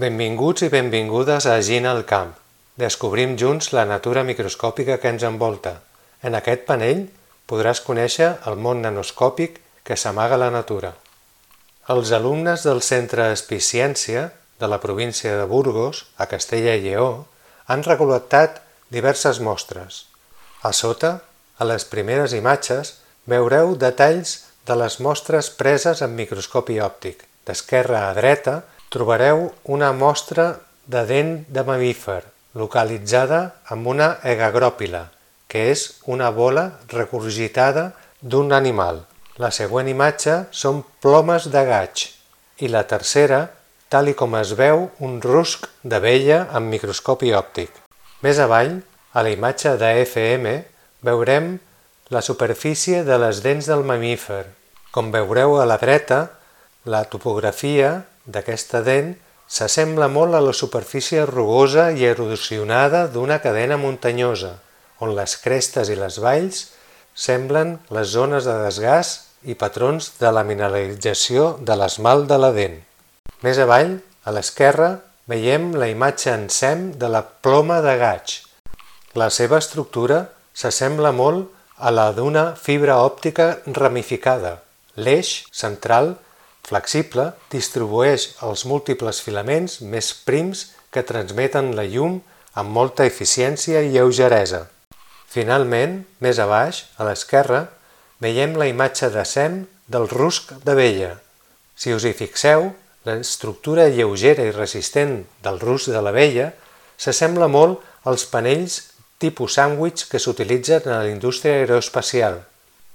Benvinguts i benvingudes a Gina al camp. Descobrim junts la natura microscòpica que ens envolta. En aquest panell podràs conèixer el món nanoscòpic que s'amaga a la natura. Els alumnes del Centre Espiciència de la província de Burgos, a Castella i Lleó, han recol·lectat diverses mostres. A sota, a les primeres imatges, veureu detalls de les mostres preses amb microscopi òptic. D'esquerra a dreta trobareu una mostra de dent de mamífer, localitzada amb una egagròpila, que és una bola regurgitada d'un animal. La següent imatge són plomes de gaig i la tercera, tal com es veu, un rusc d'abella amb microscopi òptic. Més avall, a la imatge de FM, veurem la superfície de les dents del mamífer. Com veureu a la dreta, la topografia d'aquesta dent s'assembla molt a la superfície rugosa i erosionada d'una cadena muntanyosa, on les crestes i les valls semblen les zones de desgast i patrons de la mineralització de l'esmalt de la dent. Més avall, a l'esquerra, veiem la imatge en sem de la ploma de gaig. La seva estructura s'assembla molt a la d'una fibra òptica ramificada. L'eix central, flexible, distribueix els múltiples filaments més prims que transmeten la llum amb molta eficiència i lleugeresa. Finalment, més a baix, a l'esquerra, veiem la imatge de sem del rusc d'abella. Si us hi fixeu, l'estructura lleugera i resistent del rusc de l'abella s'assembla molt als panells tipus sàndwich que s'utilitzen a la indústria aeroespacial.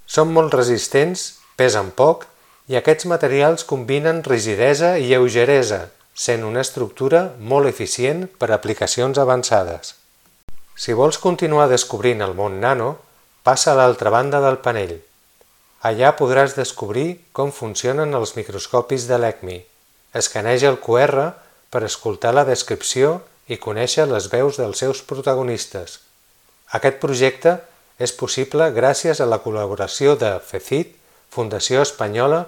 Són molt resistents, pesen poc i aquests materials combinen rigidesa i lleugeresa, sent una estructura molt eficient per a aplicacions avançades. Si vols continuar descobrint el món nano, passa a l'altra banda del panell. Allà podràs descobrir com funcionen els microscopis de l'ECMI. Escaneja el QR per escoltar la descripció i conèixer les veus dels seus protagonistes. Aquest projecte és possible gràcies a la col·laboració de FECIT, Fundació Espanyola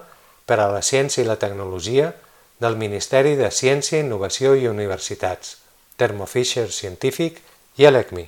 per a la Ciència i la Tecnologia, del Ministeri de Ciència, Innovació i Universitats, Thermo Fisher Scientific i l'ECMI.